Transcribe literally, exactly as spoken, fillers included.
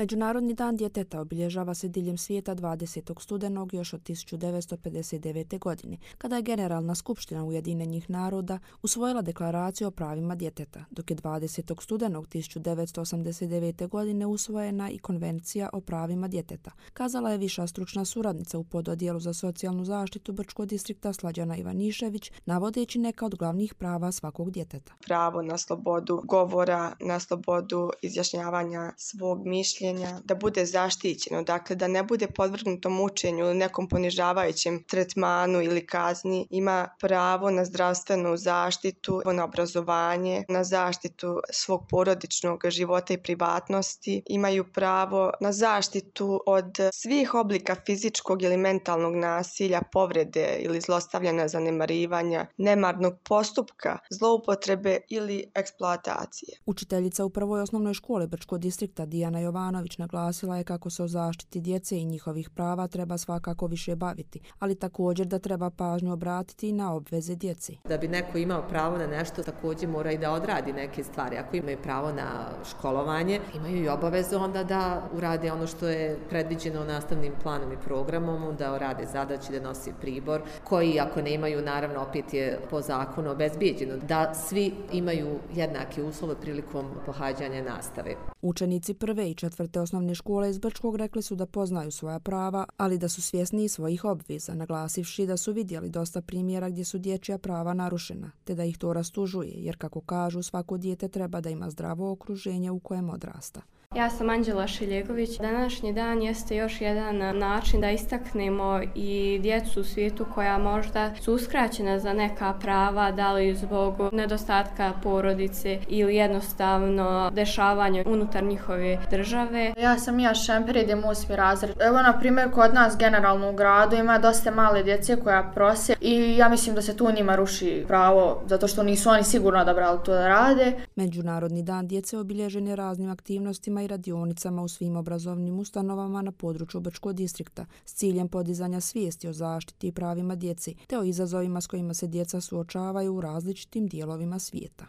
Međunarodni dan djeteta obilježava se diljem svijeta dvadesetog studenog još od tisuću devetsto pedeset devete. godine, kada je Generalna skupština Ujedinjenih naroda usvojila deklaraciju o pravima djeteta, dok je dvadesetog studenog tisuću devetsto osamdeset devete. godine usvojena i Konvencija o pravima djeteta, kazala je viša stručna suradnica u pododjelu za socijalnu zaštitu Brčkog distrikta Slađana Ivanišević, navodeći neka od glavnih prava svakog djeteta. Pravo na slobodu govora, na slobodu izjašnjavanja svog mišljenja, da bude zaštićeno, dakle da ne bude podvrgnuto mučenju ili nekom ponižavajućem tretmanu ili kazni, ima pravo na zdravstvenu zaštitu, na obrazovanje, na zaštitu svog porodičnog života i privatnosti, imaju pravo na zaštitu od svih oblika fizičkog ili mentalnog nasilja, povrede ili zlostavljanja, zanemarivanja, nemarnog postupka, zloupotrebe ili eksploatacije. Učiteljica u prvoj osnovnoj školi Brčkog distrikta Dijana Jovanović naglasila je kako se o zaštiti djece i njihovih prava treba svakako više baviti, ali također da treba pažnju obratiti i na obveze djeci. Da bi neko imao pravo na nešto, također mora i da odradi neke stvari. Ako imaju pravo na školovanje, imaju i obavezu onda da urade ono što je predviđeno nastavnim planom i programom, da urade zadaće, da nosi pribor, koji ako ne imaju, naravno opet je po zakonu obezbijeđeno, da svi imaju jednake uslove prilikom pohađanja nastave. Učenici prve i četvrte osnovne škole iz Brčkog rekli su da poznaju svoja prava, ali da su svjesni i svojih obveza, naglasivši da su vidjeli dosta primjera gdje su dječja prava narušena, te da ih to rastužuje, jer kako kažu, svako dijete treba da ima zdravo okruženje u kojem odrasta. Ja sam Anđela Šiljegović. Današnji dan jeste još jedan način da istaknemo i djecu u svijetu koja možda su uskraćena za neka prava, da li zbog nedostatka porodice ili jednostavno dešavanja unutar njihove države. Ja sam Mija Šemper, idem osmi razred. Evo, na primjer, kod nas generalno u gradu ima dosta male djece koja prose i ja mislim da se tu njima ruši pravo, zato što nisu oni sigurno odabrali to da rade. Međunarodni dan djece obilježen je raznim aktivnostima i radionicama u svim obrazovnim ustanovama na području Brčkog distrikta s ciljem podizanja svijesti o zaštiti i pravima djeci te o izazovima s kojima se djeca suočavaju u različitim dijelovima svijeta.